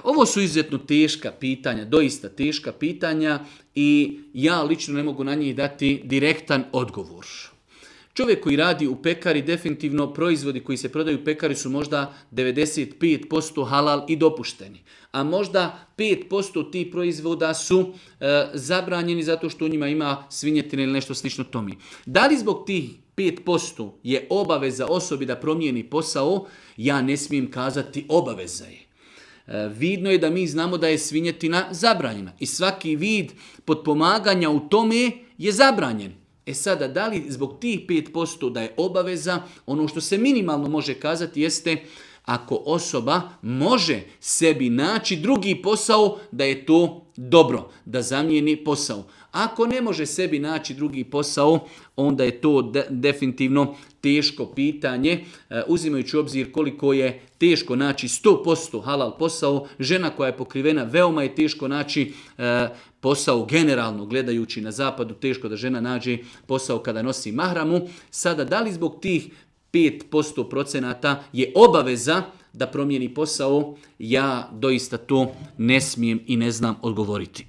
Ovo su izuzetno teška pitanja, doista teška pitanja i ja lično ne mogu na njih dati direktan odgovor. Čovjek koji radi u pekari, definitivno proizvodi koji se prodaju u pekari su možda 95% halal i dopušteni. A možda 5% tih proizvoda su zabranjeni zato što u njima ima svinjetine ili nešto slično tome. Da li zbog tih 5% je obaveza osobi da promijeni posao? Ja ne smijem kazati obaveza je. Vidno je da mi znamo da je svinjetina zabranjena i svaki vid potpomaganja u tome je zabranjen. Sada, da li zbog tih 5% da je obaveza, ono što se minimalno može kazati jeste ako osoba može sebi naći drugi posao, da je to dobro, da zamijeni posao. Ako ne može sebi naći drugi posao, onda je to definitivno teško pitanje, uzimajući u obzir koliko je teško naći 100% halal posao. Žena koja je pokrivena, veoma je teško naći posao generalno, gledajući na zapadu, teško da žena nađe posao kada nosi mahramu. Sada, da li zbog tih 5% je obaveza da promijeni posao, ja doista to ne smijem i ne znam odgovoriti.